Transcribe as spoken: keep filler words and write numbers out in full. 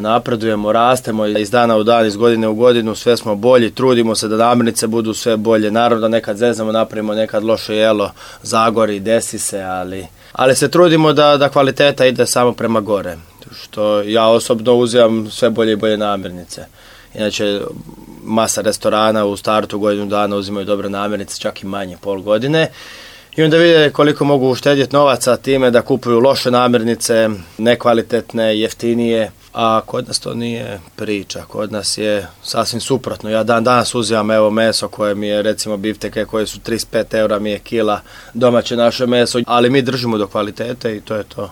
Napredujemo, rastemo iz dana u dan, iz godine u godinu, sve smo bolji, trudimo se da namirnice budu sve bolje. Naravno da nekad zeznamo, napravimo nekad loše jelo, zagori, desi se, ali, ali se trudimo da, da kvaliteta ide samo prema gore. Što ja osobno uzimam sve bolje i bolje namirnice. Inače, masa restorana u startu godinu dana uzimaju dobre namirnice, čak i manje, pol godine. I onda vide koliko mogu uštedjeti novaca time da kupuju loše namirnice, nekvalitetne, jeftinije. A kod nas to nije priča, kod nas je sasvim suprotno. Ja dan danas uzimam evo meso koje mi je, recimo bifteke koje su trideset pet eura mi je kila, domaće naše meso, ali mi držimo do kvalitete i to je to.